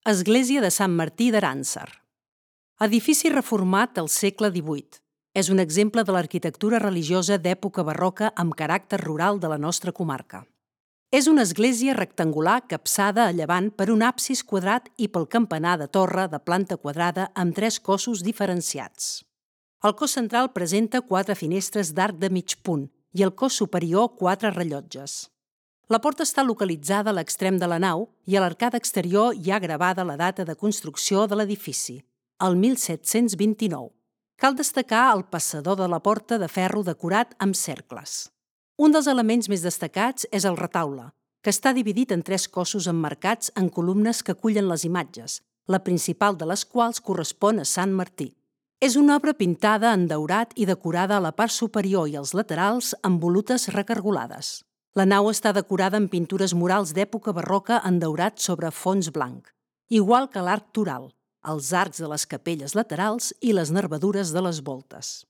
Església de Sant Martí d'Arànser. Edifici reformat al segle XVIII. És un exemple de l'arquitectura religiosa d'època barroca amb caràcter rural de la nostra comarca. És una església rectangular capçada a llevant per un absis quadrat i pel campanar de torre de planta quadrada amb 3 cossos diferenciats. El cos central presenta 4 finestres d'arc de mig punt i el cos superior 4 rellotges. La porta està localitzada a l'extrem de la nau i a l'arcada exterior hi ha gravada la data de construcció de l'edifici, el 1729. Cal destacar el passador de la porta de ferro decorat amb cercles. Un dels elements més destacats és el retaule, que està dividit en 3 cossos emmarcats en columnes que acullen les imatges, la principal de les quals correspon a Sant Martí. És una obra pintada en daurat i decorada a la part superior i als laterals amb volutes recargolades. La nau està decorada amb pintures murals d'època barroca en daurat sobre fons blanc, igual que l'arc toral, els arcs de les capelles laterals i les nervadures de les voltes.